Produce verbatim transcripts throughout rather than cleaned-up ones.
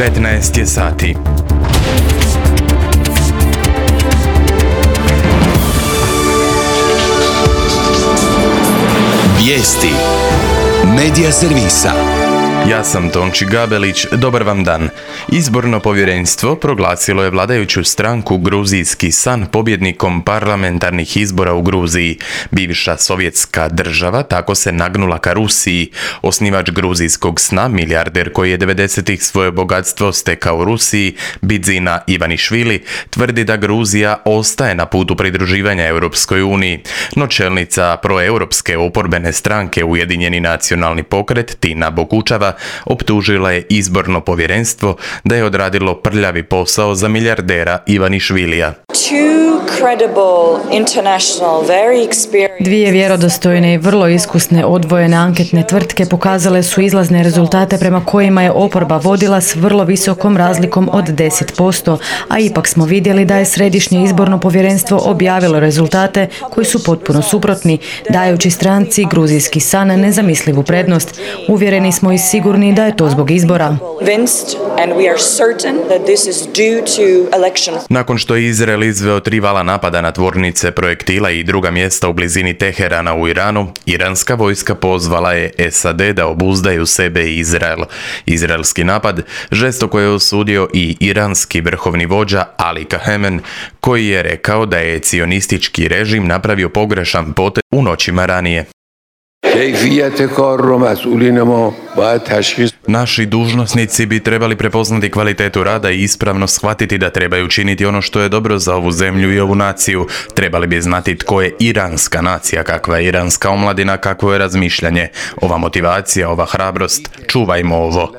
petnaest je sati. Vijesti Medija servisa. Ja sam Tonči Gabelić, dobar vam dan. Izborno povjerenstvo proglasilo je vladajuću stranku Gruzijski san pobjednikom parlamentarnih izbora u Gruziji. Bivša sovjetska država tako se nagnula ka Rusiji. Osnivač Gruzijskog sna, milijarder koji je devedesetih svoje bogatstvo stekao u Rusiji, Bidzina Ivanišvili, tvrdi da Gruzija ostaje na putu pridruživanja Europskoj uniji. No čelnica proeuropske oporbene stranke Ujedinjeni nacionalni pokret Tina Bokučava optužila je izborno povjerenstvo da je odradilo prljavi posao za milijardera Ivanišvilija. Dvije vjerodostojne i vrlo iskusne odvojene anketne tvrtke pokazale su izlazne rezultate prema kojima je oporba vodila s vrlo visokom razlikom od deset posto, a ipak smo vidjeli da je Središnje izborno povjerenstvo objavilo rezultate koji su potpuno suprotni, dajući stranci Gruzijski san nezamislivu prednost. Uvjereni smo i sigurni da je to zbog izbora. Nakon što je Izrael izveo tri vala napada na tvornice projektila i druga mjesta u blizini Teherana u Iranu, iranska vojska pozvala je S A D da obuzdaju sebe i Izrael. Izraelski napad žestoko je osudio i iranski vrhovni vođa Ali Kahemen, koji je rekao da je cionistički režim napravio pogrešan potez u noćima ranije. Naši dužnosnici bi trebali prepoznati kvalitetu rada i ispravno shvatiti da trebaju činiti ono što je dobro za ovu zemlju i ovu naciju. Trebali bi znati tko je iranska nacija, kakva je iranska omladina, kakvo je razmišljanje. Ova motivacija, ova hrabrost, čuvajmo ovo.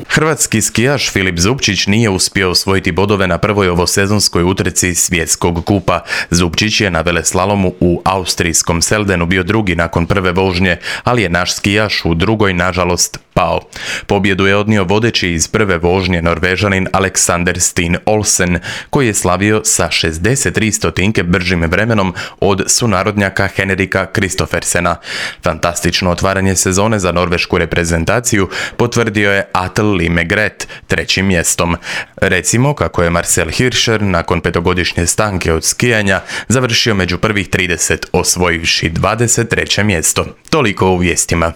Hrvatski skijaš Filip Zupčić nije uspio osvojiti bodove na prvoj ovosezonskoj utrci svjetskog kupa. Zupčić je na veleslalomu u austrijskom Seldenu bio drugi nakon prve vožnje, ali je naš skijaš u drugoj nažalost pao. Pobjedu je odnio vodeći iz prve vožnje Norvežanin Alexander Steen Olsen, koji je slavio sa šezdeset tri stotinke bržim vremenom od sunarodnjaka Henrika Kristoffersena. Fantastično otvaranje sezone za norvešku reprezentaciju potvrdio je Atle Limegret trećim mjestom. Recimo kako je Marcel Hirscher nakon petogodišnje stanke od skijanja završio među prvih trideset osvojivši dvadeset treće mjesto. Toliko u vijestima.